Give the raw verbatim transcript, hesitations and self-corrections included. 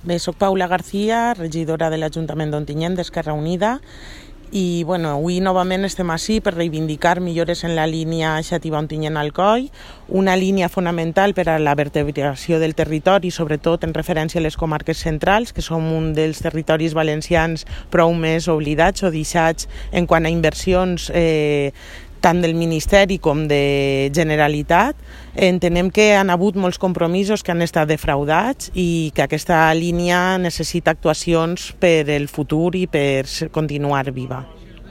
Bé, soc Paula García, regidora de l'Ajuntament d'Ontinyent d'Esquerra Unida i bueno, avui novament estem ací per reivindicar millores en la línia Xàtiva Ontinyent-Alcoi, una línia fonamental per a la vertebració del territori, sobretot en referència a les comarques centrals, que som un dels territoris valencians prou més oblidats o deixats en quant a inversions eh, tant del Ministeri com de Generalitat. Entenem que han hagut molts compromisos que han estat defraudats i que aquesta línia necessita actuacions per el futur i per continuar viva.